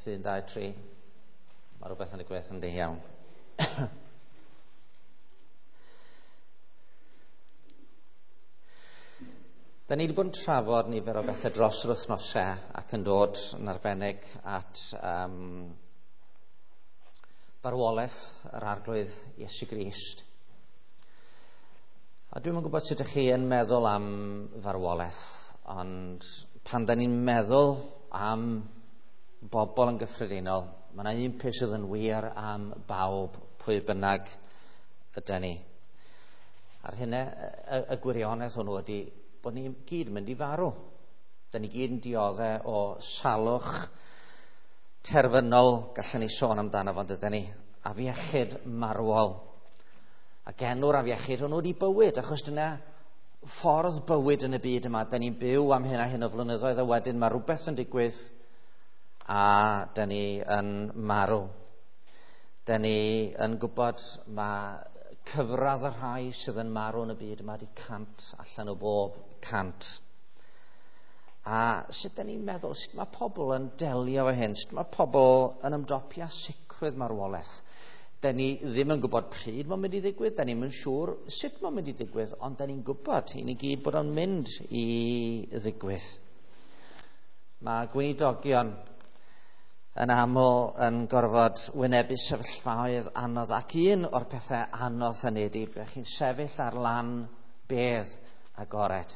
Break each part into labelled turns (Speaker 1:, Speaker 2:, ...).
Speaker 1: 1, 2, 3. Mae rhywbeth yn y gwaith yn di iawn. Da ni wedi bod yn trafod nifer o bethau dros yr wythnosau ac yn dod yn arbennig at farwolaeth yr Arglwydd Iesu Grist. A dwi'm yn gwybod sut ydych chi yn meddwl am farwolaeth, ond pan da ni'n meddwl am bobl yn gyffredinol, mae yna un peth sydd yn wir am bawb, pwy bynnag ydy ni. A'r hynna, y gwirionedd hwnnw ydy bod ni gyd yn mynd i farw. Da ni gyd yn dioddau o salwch terfynol, gallwn ni sôn amdano fo, dydyn ni, afiechyd marwol. Ac enw'r afiechyd hwnnw ydy bywyd, achos dyna ffordd bywyd yn y byd yma. Da ni'n byw am hyn a hyn o flynyddoedd, a wedyn mae rhywbeth yn digwydd a da ni yn marw. Da ni yn gwybod mae cyfradd y rhai sydd yn marw yn y byd yma di 100 allan o bob 100. A sut da ni'n meddwl, sut mae pobl yn delio efo hyn, sut mae pobl yn ymdopi â sicrwydd marwolaeth? Da ni ddim yn gwybod pryd mae'n mynd i ddigwydd, da ni'm yn siŵr sut mae'n mynd i ddigwydd, ond da ni'n gwybod i ni gyd bod o'n mynd i ddigwydd. Mae gweinidogion yn aml yn gorfod wynebu sefyllfaoedd anodd, ac un o'r pethau anodd hynny ydy bod chi'n sefyll ar lan bedd agored.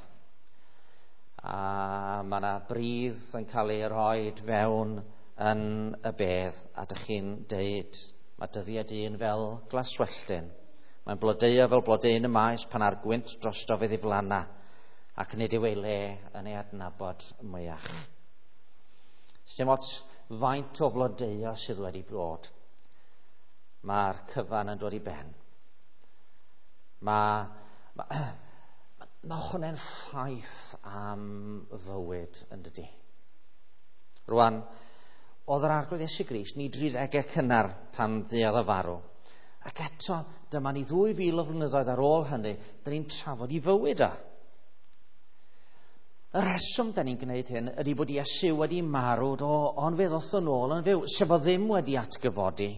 Speaker 1: A mae yna bridd yn cael ei roed fewn yn y bedd, a dych chi'n deud, mae dyddiau dyn fel glaswelltyn. Mae'n blodeuo fel blodeuyn y maes pan ar gwynt drosto fe ddiflanna, ac nid yw ei le yn ei adnabod mwyach. Sdim ots faint o flodeuo sydd wedi bod, mae'r cyfan yn dod i ben. Mae hwnna'n ffaith am fywyd yn dydi. Rwan, oedd yr Arglwydd Iesu Grist ni 30au cynnar pan dduodd o farw. Ac eto, dyma ni 2000 o flynyddoedd ar ôl hynny, dyn ni'n trafod i fywyd o. Y rheswm da ni'n gwneud hyn ydy bod Iesu wedi marw, do, ond fe ddoth yn ôl yn fyw, sef o ddim wedi atgyfodi.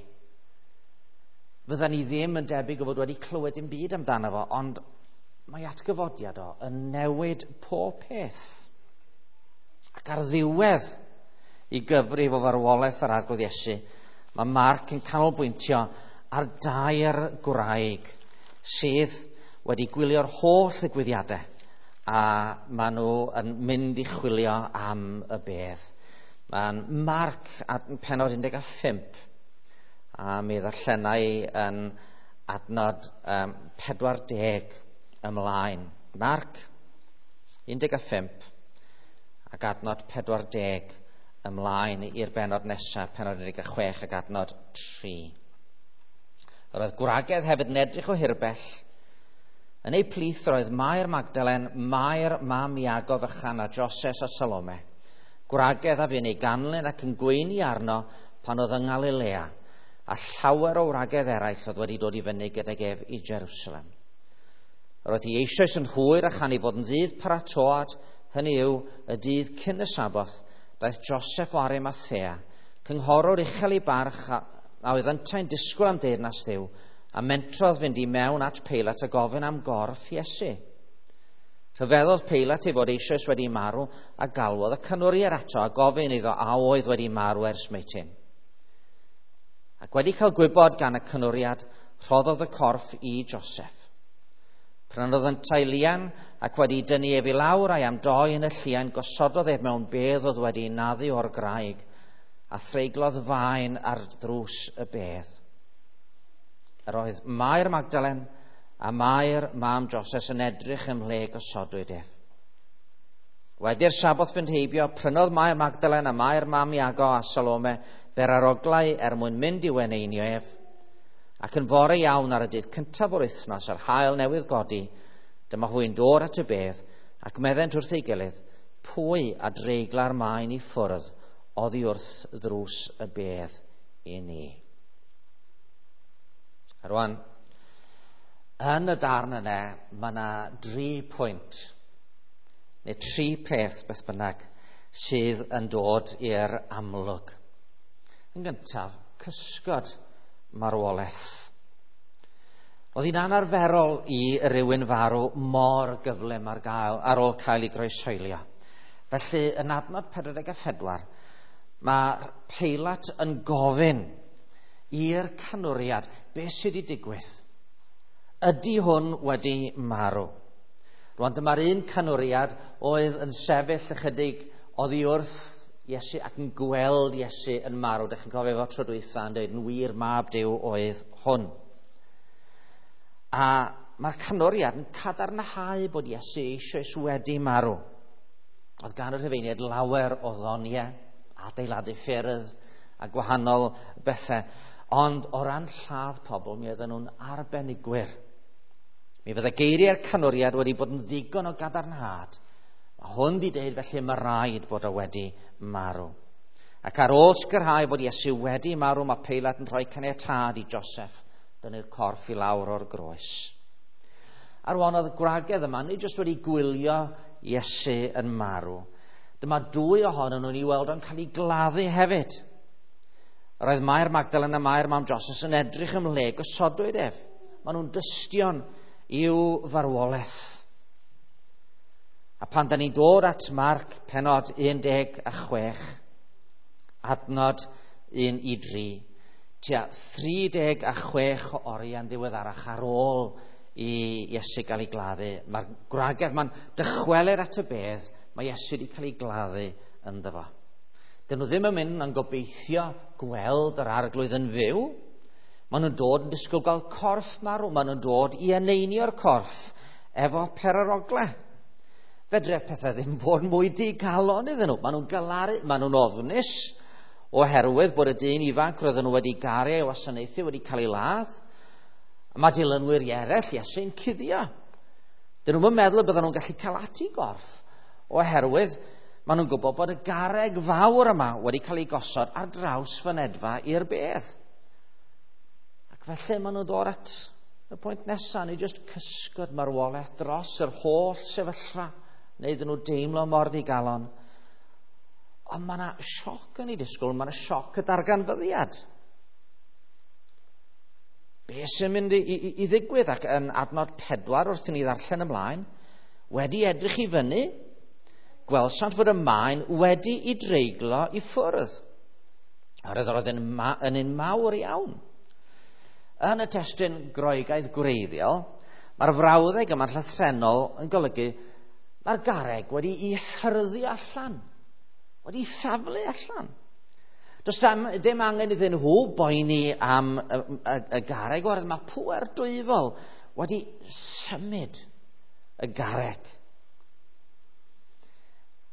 Speaker 1: Fydda ni ddim yn debyg o fod wedi clywed dim byd amdano fo, ond mae atgyfodiad o yn newid pob peth. Ac ar ddiwedd i gyfrif o farwolaeth yr Arglwydd Iesu, mae Marc yn canolbwyntio ar dair gwraig sydd wedi gwylio'r holl ddigwyddiadau, a maen nhw yn mynd i chwilio am y bedd. Mae'n Marc pennod 15, a mi ddarllenai yn adnod 40 ymlaen. Marc 15 ac adnod 40 ymlaen i'r bennod nesaf, pennod 16 ac adnod 3. Yr oedd gwragedd hefyd yn edrych o hirbell. Yn eu plith roedd Mair Magdalen, Mair mam Iago fychan a Joses a Salome. Gwragedd a fu'n ei ganlyn ac yn gweini arno pan oedd yng Nghalilea, a llawer o wragedd eraill oedd wedi dod i fyny gydag ef i Jerusalem. Yr oedd hi eisoes yn hwyr a chan ei fod yn ddydd paratoad, hynny yw y dydd cyn y Saboth, daeth Joseph o Arimathea, cynghorwr uchel ei barch a oedd yntau'n disgwyl am deyrnas Dduw, a mentrodd fynd i mewn at Peilat a gofyn am gorff Iesu. Rhyfeddodd Peilat ei fod eisoes wedi marw a galwodd y canwriad ato a gofyn iddo a oedd wedi marw ers meitin. Ac wedi cael gwybod gan y canwriad, rhoddodd y corff i Joseph. Prynodd yntau lian ac wedi dynnu ef i lawr a'i amdoi yn y llian, gosododd ef mewn bedd oedd wedi naddu o'r graig a threiglodd faen ar drws y bedd. Yr oedd Mair Magdalen a Mair mam Joses yn edrych ym mhle gosodwyd ef. Wedi'r Saboth fynd heibio, prynodd Mair Magdalen a Mair mam Iago a Salome beraroglau er mwyn mynd i'w eneinio ef. Ac yn fore iawn ar y dydd cyntaf o'r wythnos a'r haul newydd godi, dyma hwy'n dod at y bedd ac meddent wrth ei gilydd, pwy a dreigla'r maen i ffwrdd oddi wrth ddrws y bedd i ni. A rwan, yn y darn yna, mae yna 3 pwynt, neu 3 peth beth bynnag, sydd yn dod i'r amlwg. Yn gyntaf, cysgod marwolaeth. Oedd hi'n anarferol i rywun farw mor gyflym ar, gael, ar ôl cael ei groeshoelio. Felly, yn adnod 44, mae Peilat yn gofyn i'r canwriad beth sydd wedi digwydd. Ydy hwn wedi marw? Rwan dyma'r un canwriad oedd yn sefyll ychydig oddi wrth Iesu ac yn gweld Iesu yn marw. Dych chi'n cofio fo tro dwytha yn dweud yn wir mab Duw oedd hwn. A mae'r canwriad yn cadarnhau bod Iesu eisoes wedi marw. Oedd gan y Rhufeiniaid lawer o ddoniau, adeiladu ffyrdd a gwahanol bethau. Ond o ran lladd pobl, mi oedden nhw'n arbenigwyr. Mi fydde geiriau'r canwriad wedi bod yn ddigon o gadarnhad. Mae hwn di deud felly mae rhaid bod o wedi marw. Ac ar ôl sicrhau bod Iesu wedi marw, mae Peilat yn rhoi caniatâd i Joseph dynnu'r corff i lawr o'r groes. A rwan oedd y gwragedd yma, nid jyst wedi gwylio Iesu yn marw. Dyma dwy ohonyn nhw'n ei weld o'n cael ei gladdu hefyd. Yr oedd Mair Magdalen a Mair mam Joseph yn edrych ymhle gosodwyd ef. Maen nhw'n dystion i'w farwolaeth. A pan da ni'n dod at Marc penod 16, adnod 1 i 3, tua 36 o oriau'n ddiweddarach ar ôl i Iesu gael ei gladdu. Mae'r gwragedd ma'n dychwelyd at y bedd, mae Iesu wedi cael ei gladdu ynddo fo. Dyn nhw ddim yn mynd yn gobeithio gweld yr arglwydd yn fyw. Maen nhw'n dod yn disgwyl gael corff marw. Maen nhw'n dod i eneinio'r corff efo perarogle. Fedre pethau ddim fod mwy digalon iddyn nhw. Maen nhw'n galaru, maen nhw'n ofnus oherwydd bod y dyn ifanc roedden nhw wedi garu ei wasanaethu wedi cael ei ladd. A mae dilynwyr eraill Iesu'n cuddio. Dyn nhw'n meddwl y bydden nhw'n gallu cael at i gorff oherwydd maen nhw'n gwybod bod y garreg fawr yma wedi cael ei gosod ar draws fynedfa i'r bedd. Ac felly maen nhw'n dod at y pwynt nesaf, neu jyst cysgod marwolaeth dros yr holl sefyllfa, neu iddyn nhw deimlo mor ddigalon. Ond mae yna sioc yn ei disgwyl, mae yna sioc y darganfyddiad. Be sy'n mynd i, i, i ddigwydd? Ac yn adnod 4 wrth i ni ddarllen ymlaen, wedi edrych i fyny, gwelsant fod y maen wedi i dreiglo i ffwrdd. Oherwydd roedd yn, ma yn un mawr iawn. Yn y testun Groegaidd gwreiddiol, mae'r frawddeg yma'n llythrennol yn golygu mae'r garreg wedi i hyrddu allan, wedi i thaflu allan. Does dim, dim angen iddyn nhw boeni am y, y, y garreg, oherwydd mae pŵer dwyfol wedi symud y garreg.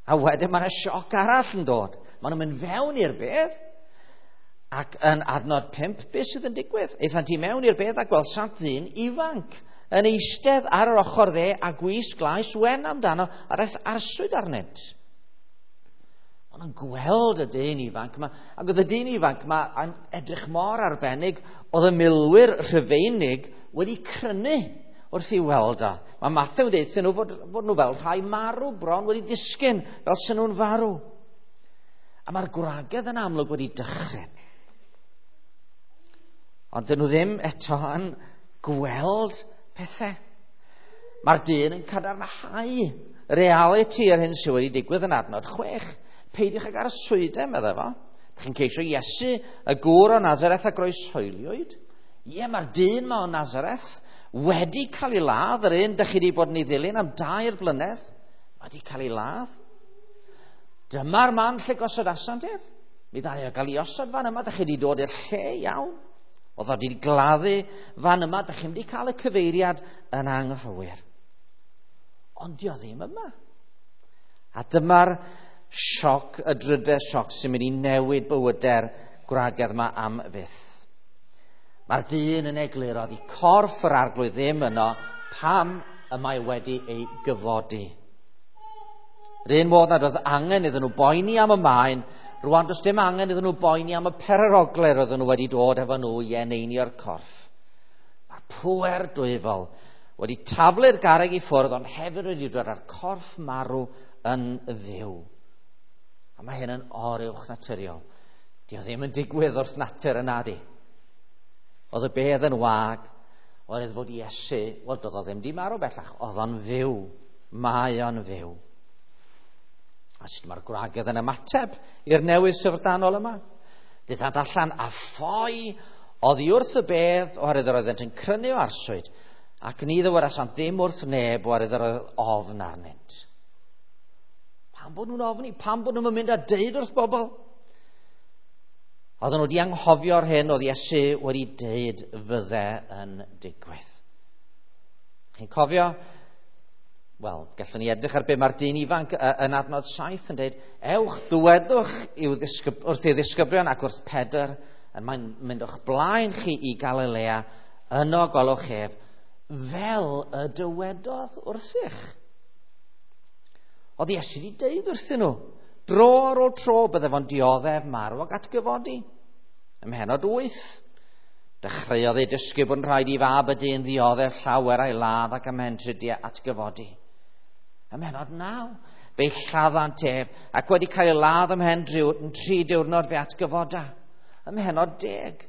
Speaker 1: A wedyn mae yna sioc arall yn dod. Maen nhw'n mynd fewn i'r bedd, ac yn adnod 5, beth sydd yn digwydd? Aethant i mewn i'r bedd a gwelsant ddyn ifanc yn eistedd ar yr ochr dde a gwisg glais wen amdano a daeth arswyd arnynt. Maen nhw'n gweld y dyn ifanc yma, ac oedd y dyn ifanc yma yn edrych mor arbennig, oedd y milwyr Rhufeinig wedi crynu wrth i weld o. Mae Mathew yn deud nhw fod, fod nhw fel rhai marw bron wedi disgyn, fel sy'n nhw'n farw. A mae'r gwragedd yn amlwg wedi dychryn. Ond dyn nhw ddim eto yn gweld pethau. Mae'r dyn yn cadarnhau reality yr hyn sydd wedi digwydd yn adnod 6. Peidiwch ag arswydau, meddai fo. Dych chi'n ceisio Iesu, y gŵr o Nazareth a groeshoeliwyd. Ie, mae'r dyn ma o Nazareth wedi cael ei ladd, yr un dych chi wedi bod yn ei ddilyn am 3 blynedd, mae wedi cael ei ladd. Dyma'r man lle gosodasant ef. Mi ddaru o gael ei osod fan yma, dych chi wedi dod i'r lle iawn. Oedd o wedi gladdu fan yma, dych chi'n wedi cael y cyfeiriad yn anghywir. Ond dio ddim yma. A dyma'r sioc, y drydedd sioc sy'n mynd i newid bywydau'r gwragedd yma am fyth. Mae'r dyn yn egluro i corff yr arglwydd ddim yno pam y mae wedi ei gyfodi. Yr un modd nad oedd angen iddyn nhw boeni am y maen, rwan does dim angen iddyn nhw boeni am y pererogle roedden nhw wedi dod efo nhw i eneinio'r corff. Mae'r pŵer dwyfol wedi taflu'r garreg i ffwrdd, ond hefyd wedi dod â'r corff marw yn fyw. A mae hyn yn oruwch naturiol. Di o ddim yn digwydd wrth natur yna di. Oedd y bedd yn wag, oedd fod Iesu, wel, doedd o ddim di marw bellach, oedd o'n fyw. Mae o'n fyw. A sut mae'r gwragedd yn ymateb i'r newydd syfrdanol yma? Daethant allan a ffoi oddi wrth y bedd, oherwydd yr oeddent yn crynu o arswyd, ac ni ddywedasant ddim wrth neb, oherwydd yr oedd ofn arnynt. Pam bod nhw'n ofni? Pam bod nhw'n mynd a deud wrth bobl? Oedden nhw wedi anghofio'r hyn oedd Iesu wedi deud fydde yn digwydd. Chi'n cofio? Wel, gallwn ni edrych ar be mae'r dyn ifanc yn adnod 7 yn deud, ewch, dywedwch wrth ei ddisgyblion ac wrth Pedr, yn mae'n mynd o'ch blaen chi i Galilea, yno gwelwch ef, fel y dywedodd wrthych. Oedd Iesu wedi deud wrthyn nhw, dro ar ôl tro bydde fo'n dioddef marw ac atgyfodi. Ym mhennod 8, dechreuodd ei dysgu bod yn rhaid i fab y dyn ddioddef llawer a'i ladd ac ymhen tridiau atgyfodi. Ym mhennod 9, fe'i lladdant ef ac wedi cael ei ladd ymhen 3 diwrnod fe atgyfoda. Ym mhennod 10,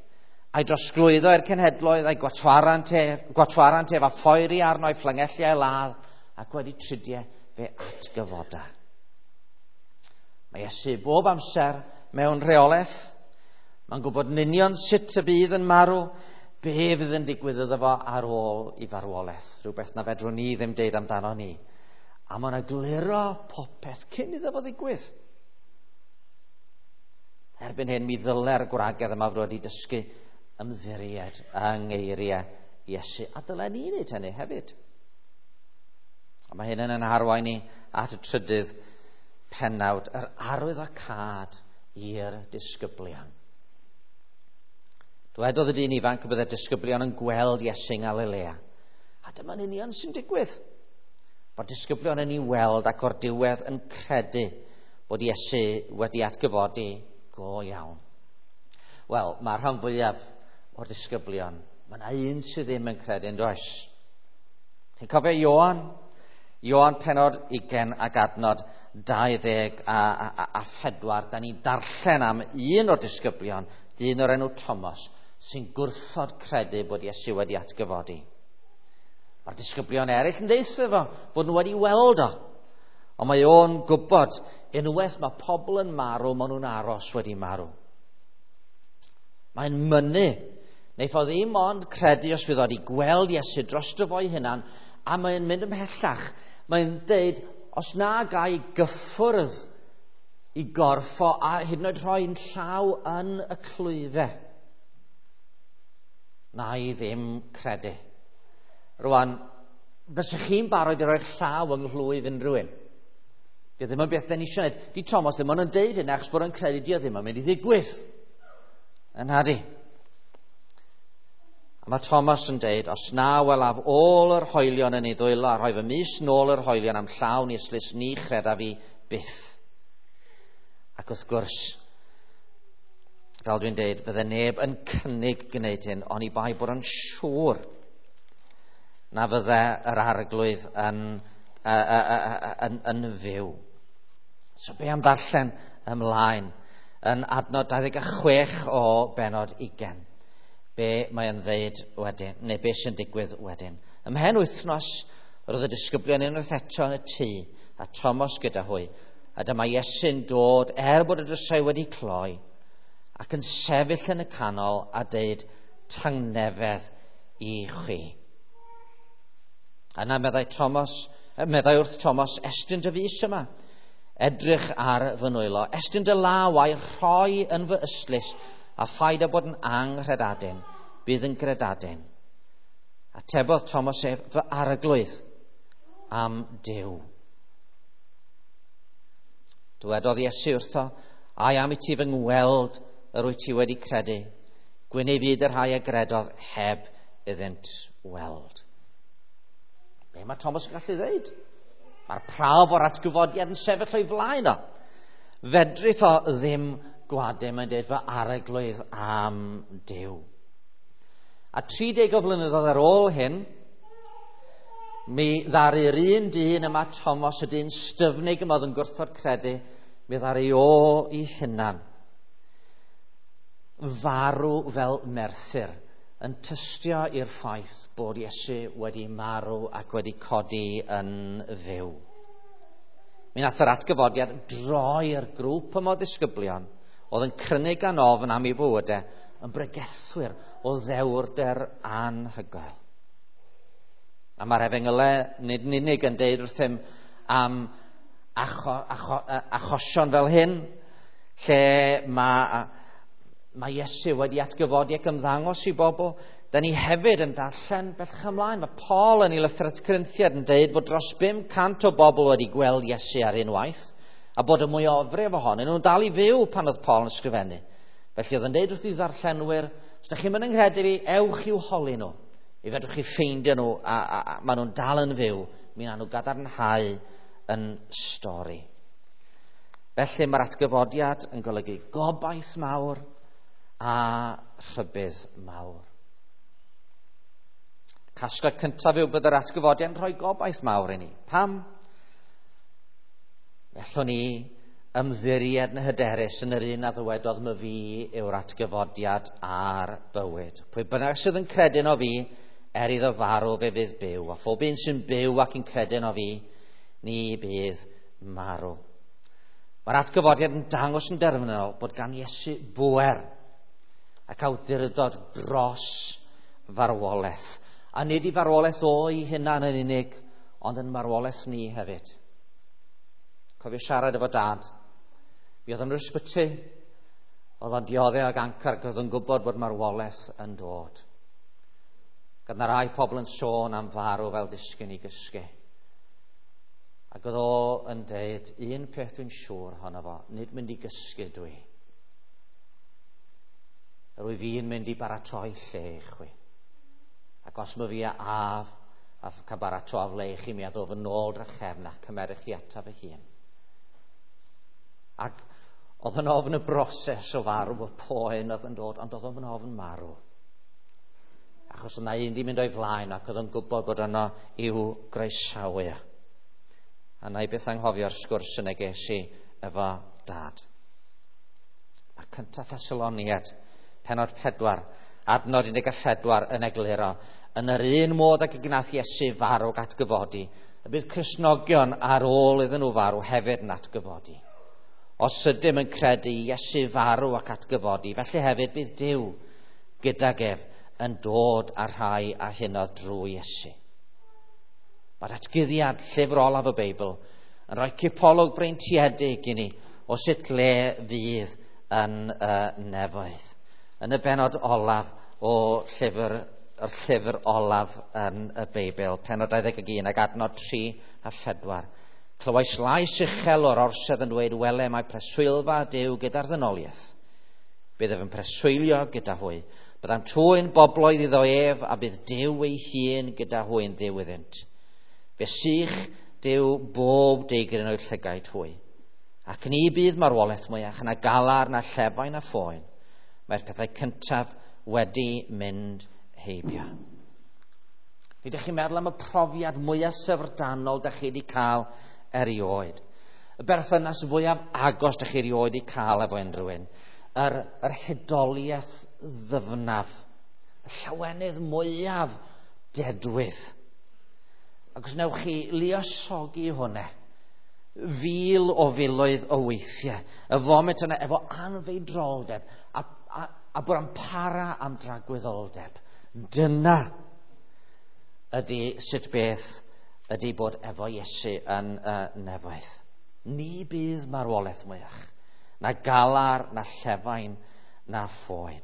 Speaker 1: a'i drosglwyddo i'r cenhedloedd a'i gwatwarant ef a phoeri arno a'i fflangellu a'i ladd ac wedi tridiau fe atgyfoda. Mae Iesu bob amser mewn rheolaeth. Mae'n gwybod yn union sut y bydd yn marw, be fydd yn digwydd iddo fo ar ôl i farwolaeth. Rhywbeth na fedrwn ni ddim deud amdano ni. A mae'n egluro popeth cyn iddo fo ddigwydd. Erbyn hyn, mi ddyle'r gwragedd yma fod wedi dysgu ymddiried yng ngeiriau Iesu. A dylen ni wneud hynny hefyd. A mae hyn yn arwain ni at y trydydd pennawd, yr arwyddocâd i'r disgyblion. Dwedodd y dyn ifanc y byddai'r disgyblion yn gweld Iesu yng Ngalilea. A dyma'n union sy'n digwydd. Bod disgyblion yn ei weld ac o'r diwedd yn credu bod Iesu wedi atgyfodi go iawn. Wel, mae'r rhan fwyaf o'r disgyblion, mae yna un sydd ddim yn credu yn does. Chi'n cofio Ioan? Ioan pennod 20 ac adnod 24. Da ni'n darllen am un o'r disgyblion, dyn o'r enw Thomas, sy'n gwrthod credu bod Iesu wedi atgyfodi. Mae'r disgyblion eraill yn deutha fo bod nhw wedi weld o. Ond mae o'n gwybod, unwaith mae pobl yn marw, maen nhw'n aros wedi marw. Mae'n mynnu, neiff o ddim ond credu os fydd o wedi gweld Iesu drosto fo'i hunan, a mae'n mynd ymhellach. Mae'n deud, os na gai gyffwrdd i gorffo a hyd yn oed rhoi'n llaw yn y clwyfau, na i ddim credu. Rwan, fysych chi'n barod i roi'ch llaw yng nghlwyf unrhyw un? Di ddim yn beth da ni eisiau gwneud. Di Thomas ddim ond yn deud hynny achos bod o'n credu di o ddim yn mynd i ddigwydd. Yn hadi. A mae Thomas yn deud, os na welaf ôl yr hoelion yn ei ddwylo a rhoi fy mys nôl yr hoelion am llawn ieslys, ni chredaf fi byth. Ac wrth gwrs, fel dwi'n deud, fydde neb yn cynnig gwneud hyn, oni bai bod yn siŵr na fydde yr arglwydd yn fyw. So be am ddarllen ymlaen yn adnod 26 o bennod 20. Be mae'n ddeud wedyn, neu be sy'n digwydd wedyn. Ymhen wythnos, roedd y disgyblion unwaith eto yn y tŷ, a Thomas gyda hwy, a dyma Iesu'n dod, er bod y drysau wedi cloi, ac yn sefyll yn y canol a deud, tangnefedd i chwi. Yna meddai wrth Thomas, estyn dy fys yma, edrych ar fy nwylo, estyn dy law a'i rhoi yn fy ystlys, a phaid â bod yn anghredadun, bydd yn gredadun. Atebodd Thomas ef, fy arglwydd am Duw. Dywedodd Iesu wrtho, ai am i ti fy ngweld yr wyt ti wedi credu, gwyn ei fyd y rhai a gredodd heb iddynt weld. Be mae Thomas yn gallu ddeud? Mae'r prawf o'r atgyfodiad yn sefyll o'i flaen o. Fedrith o ddim gwadu, mae'n deud fy arglwydd am Duw. A 30 o flynyddoedd ar ôl hyn, mi ddaru'r un dyn yma, Thomas, y dyn styfnig yma oedd yn gwrthod credu, mi ddaru o i hunan. farw fel merthyr yn tystio i'r ffaith bod Iesu wedi marw ac wedi codi yn fyw. Mi nath yr atgyfodiad droi'r grŵp yma o ddisgyblion oedd yn crynu gan ofn am ei bywydau yn bregethwyr o ddewrder anhygoel. A mae'r efengylau nid yn unig yn deud wrthym am achosion fel hyn, lle mae Iesu wedi atgyfodi ac ymddangos i bobl. Da ni hefyd yn darllen bellach ymlaen. Mae Paul yn ei lythyr at Corinthiaid yn deud bod dros 500 o bobl wedi gweld Iesu ar unwaith, a bod y mwyafrif ohonyn nhw'n dal i fyw pan oedd Paul yn ysgrifennu. Felly oedd yn deud wrth ei ddarllenwyr, os ydych chi'n mynd yng nghredu fi, ewch i'w holi nhw. I fedrwch chi ffeindio nhw, a maen nhw'n dal yn fyw, mi wnawn nhw gadarnhau yn stori. Felly mae'r atgyfodiad yn golygu gobaith mawr a rhybudd mawr. Casgliad cyntaf yw bod yr atgyfodiad yn rhoi gobaith mawr i ni. Pam? Fellwn ni ymddiried yn hyderus yn yr un a ddywedodd my fi yw'r atgyfodiad a'r bywyd. Pwy bynnag sydd yn credu yno fi, er iddo farw fe fydd byw. A phob un sy'n byw ac yn credu yno fi, ni bydd marw. Mae'r atgyfodiad yn dangos yn derfynol bod gan Iesu bŵer ac awdurdod dros farwolaeth. A nid i farwolaeth o'i hunan yn unig, ond yn marwolaeth ni hefyd. Cofio siarad efo dad. Mi oedd yn yr ysbyty, oedd o'n dioddef ag gancr ac oedd yn gwybod bod marwolaeth yn dod. Gyda rai pobl yn sôn am farw fel disgyn i gysgu. Ac oedd o yn deud, un peth dwi'n siŵr ohono fo, nid mynd i gysgu dwi. Yr wyf fi'n mynd i baratoi lle i chwi. Ac os mae fi a af a cael baratoi le i chi, mi a ddof yn ôl drachefn a cymerwch chi ataf fy hun. Ac oedd yn ofn y broses o farw, y poen oedd yn dod, ond oedd yn ofn marw. Achos yna un di mynd o'i flaen ac oedd yn gwybod bod yno i'w groesawu. A na i beth anghofio'r sgwrs yna ges i efo dad. Mae cyntaf Thessaloniaid, penod 4, adnod 14 yn egluro, yn yr un modd ag y gwnaeth Iesu farw ac atgyfodi, y bydd Cristnogion ar ôl iddyn nhw farw hefyd yn atgyfodi. Os ydym yn credu Iesu farw ac atgyfodi, felly hefyd bydd Duw gydag ef yn dod â rhai a hunodd drwy Iesu. Mae'r atguddiad llyfr olaf y Beibl yn rhoi cipolwg breintiedig i ni o sut le fydd yn y nefoedd. Yn y bennod olaf o llyfr, yr llyfr olaf yn y Beibl, pennod 21 ac adnod 3 a 4. Clywais lais uchel o'r orsedd yn dweud, wele mae preswylfa Duw gyda'r ddynoliaeth. Bydd ef yn preswylio gyda hwy. Byddant hwy'n bobloedd iddo ef, a bydd Duw ei hun gyda hwy'n Dduw iddynt. Fe sych Duw bob deigryn o'i llygaid hwy. Ac ni bydd marwolaeth mwyach na galar, na llefain, na phoen. Mae'r pethau cyntaf wedi mynd heibio. Nid ydych chi'n meddwl am y profiad mwyaf syfrdanol dych chi wedi cael erioed. Y berthynas fwyaf agos dych chi erioed wedi cael efo unrhyw un. Yr hudoliaeth ddyfnaf. Y llawenydd mwyaf dedwydd. Ac os wnewch chi luosogi hwnna, fil o filoedd o weithiau, y foment yna efo anfeidroldeb a bod yn para am dragwyddoldeb. Dyna ydy sut beth ydy bod efo Iesu yn y nefoedd. Ni bydd marwolaeth mwyach, na galar, na llefain, na phoen.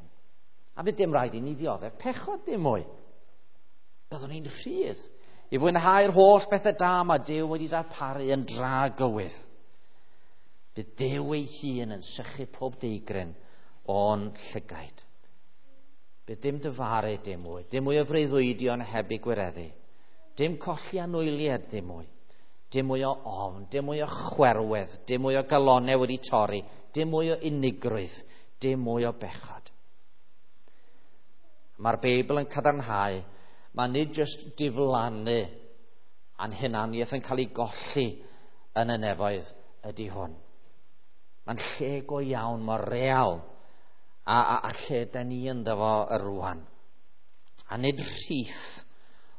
Speaker 1: A fydd dim rhaid i ni ddioddef pechod dim mwy. Byddwn ni'n rhydd i fwynhau'r holl bethau da mae Duw wedi darparu yn dragywydd. Bydd Duw ei hun yn sychu pob deigryn o'n llygaid. Bydd dim dyfaru dim mwy, dim mwy o freuddwydion heb eu gwireddu, dim colli anwyliad dim mwy, dim mwy o ofn, dim mwy o chwerwedd, dim mwy o galonau wedi torri, dim mwy o unigrwydd, dim mwy o bechod. Mae'r Beibl yn cadarnhau, mae nid jyst diflannu a'n hunaniaeth yn cael ei golli yn y nefoedd ydy hwn. Mae'n lle go iawn, mor real A lle da ni ynddo fo rwan. A nid rhith,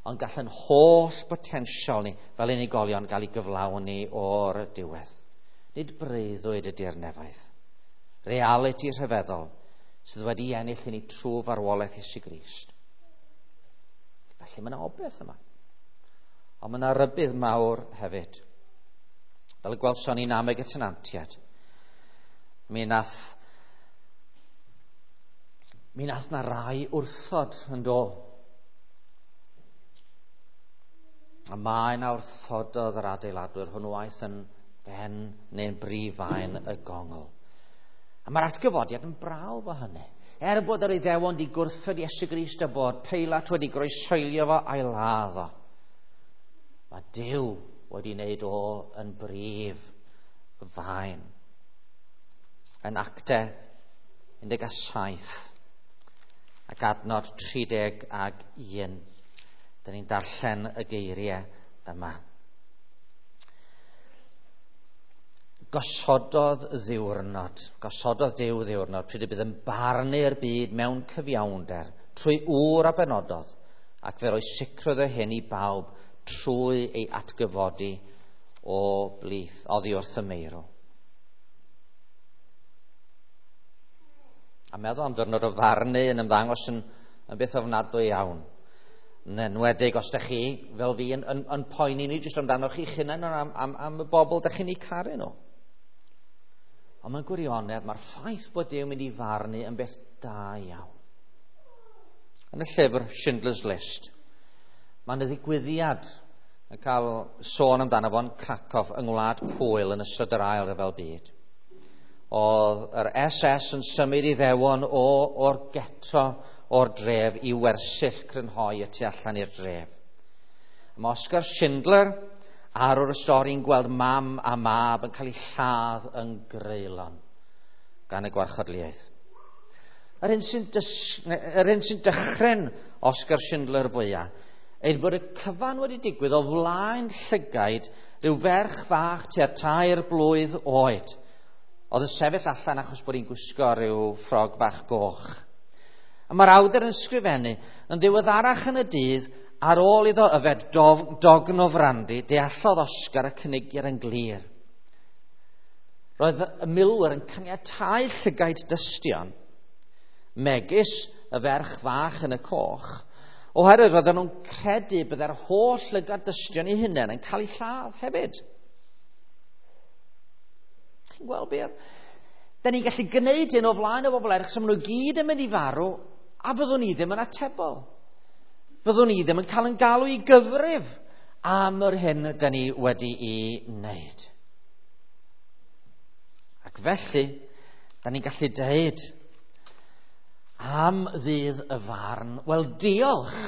Speaker 1: ond gall yn holl botensial ni fel unigolion gael ei gyflawni o'r diwedd. Nid breuddwyd ydy'r nefoedd. Realiti rhyfeddol sydd wedi ennill i ni trwy farwolaeth Iesu Grist. Felly mae yna obaith yma. Ond mae yna rybudd mawr hefyd. Fel y gwelson ni nameg y tenantiaid. Mi nath na rai wrthod yn do. A mae na wrthododd yr adeiladwyr hwnnw aeth yn ben neu'n brif faen y gongl. A mae'r atgyfodiad yn brawf o hynny. Er bod yr Iddewon wedi gwrthod Iesu Grist a bod Peilat wedi groeshoelio fo a'i ladd o, mae Duw wedi wneud o yn brif faen. Yn Actau 17 ac adnod 31, dyn ni'n darllen y geiriau yma. Gosododd Duw ddiwrnod, pryd y bydd yn barnu'r byd mewn cyfiawnder, trwy ŵr a benododd, ac fe roi sicrwydd o hyn i bawb trwy ei atgyfodi o blith, oddi wrth y meirw. A meddwl am ddiwrnod o farnu yn ymddangos yn beth ofnadwy iawn. Yn enwedig os ydych chi, fel fi, yn poeni ni jyst amdano chi'ch hunain, ond am y bobl ydych chi'n eu caru nhw. Ond mewn gwirionedd, mae'r ffaith bod Duw yn mynd i farnu yn beth da iawn. Yn y llyfr Schindler's List, mae yna ddigwyddiad yn cael sôn amdano fo'n Krakow yng Ngwlad Pwyl yn ystod yr Ail Ryfel Byd. Oedd yr SS yn symud Iddewon o'r ghetto o'r dref i wersyll crynhoi y tu allan i'r dref. Mae Oscar Schindler arwr y stori'n gweld mam a mab yn cael eu lladd yn greulon gan y gwarchodliaeth. Yr hyn sy'n dychryn Oscar Schindler fwyaf yw bod y cyfan wedi digwydd o flaen llygaid rhyw ferch fach tua 3 blwydd oed oedd yn sefyll allan achos bod hi'n gwisgo rhyw ffrog fach goch. A mae'r awdur yn sgrifennu yn ddiweddarach yn y dydd, ar ôl iddo yfed dogn o frandi, deallodd Oscar y cynigiad yn glir. Roedd y milwyr yn caniatáu llygaid dystion, megis y ferch fach yn y coch, oherwydd roedden nhw'n credu byddai'r holl lygad dystion eu hunain yn cael eu lladd hefyd. Chi'n gweld beth? Da ni'n gallu gwneud hyn o flaen y bobl eraill, so maen nhw gyd yn mynd i farw, a fyddwn ni ddim yn atebol. Fyddwn ni ddim yn cael yn galw i gyfrif am yr hyn da ni wedi'i wneud. Ac felly, da ni'n gallu dweud am ddydd y farn, wel diolch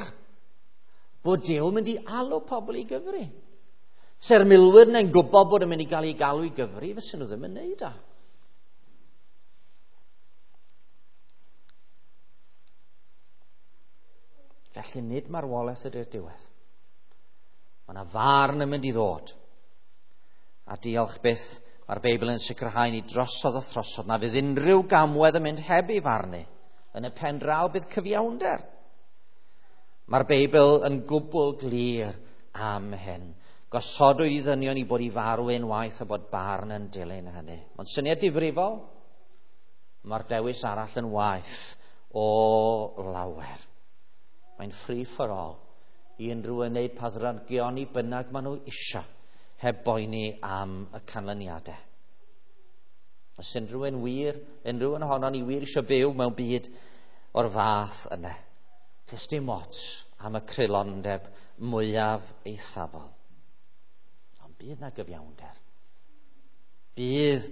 Speaker 1: bod Duw yn mynd i alw pobl i gyfri. Se'r milwyr neu'n gwybod bod yn mynd i gael ei galw i gyfri, fysen nhw ddim yn neud o. Felly nid marwolaeth ydy'r diwedd. Mae yna farn yn mynd i ddod. A diolch byth, mae'r Beibl yn sicrhau ni drosodd a throsodd na fydd unrhyw gamwedd yn mynd heb ei farnu. Yn y pen draw bydd cyfiawnder. Mae'r Beibl yn gwbl glir am hyn. Gosodwyd i ddynion i bod i farw unwaith a bod barn yn dilyn hynny. Ond syniad difrifol, mae'r dewis arall yn waeth o lawer. Mae'n free for all i unrhyw yn wneud pa ddrygion i bynnag maen nhw isio, heb boeni am y canlyniadau. Os unrhyw un wir, unrhyw un ohonon ni wir eisiau byw mewn byd o'r fath yna, does dim ots am y creulondeb mwyaf eithafol. Ond bydd na gyfiawnder. Bydd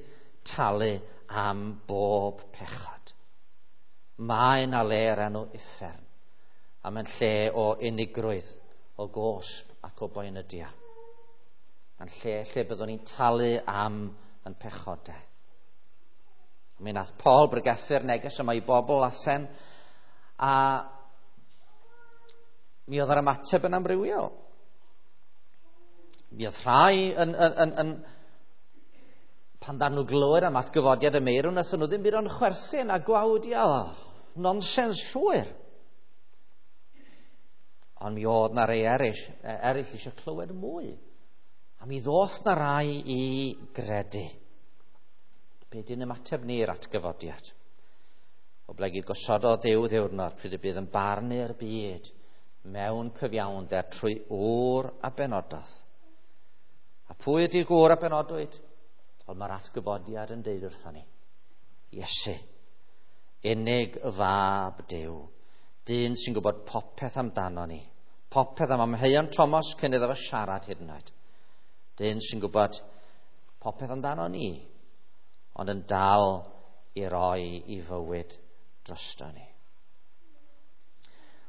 Speaker 1: talu am bob pechod. Mae na le ar enw uffern, a mae'n lle o unigrwydd, o gosb ac o boenydia. Mae'n lle byddwn ni'n talu am yn pechodau. Mi nath Paul bregethu'r neges yma i bobl Athen, a mi oedd yr ymateb yn amrywiol. Mi oedd rhai yn Pan ddaru nhw glywed am atgyfodiad y meirw, wnaethon nhw ddim byd ond chwerthin a gwawdio. Nonsens llwyr. Ond mi oedd na rei eraill eisiau clywed mwy. A mi ddoth na rai i gredu. Be di'n ymateb ni i'r atgyfodiad? Oblegid gosododd Duw ddiwrnod pryd y bydd yn barnu'r byd mewn cyfiawnder trwy ŵr a benododd. A pwy ydy gŵr a benodwyd? Ond mae'r atgyfodiad yn deud wrthon ni. Iesu, unig fab Duw, dyn sy'n gwybod popeth amdano ni, popeth am amheuon Thomas cyn iddo fo siarad hyd yn oed. Dyn sy'n gwybod popeth amdano ni, ond yn dal i roi i fywyd drosto ni.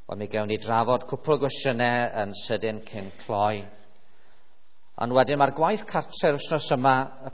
Speaker 1: Wel, mi gewn ni drafod cwpl o gwestiynau yn sydyn cyn cloi. Ond wedyn mae'r gwaith cartre'r wythnos yma, y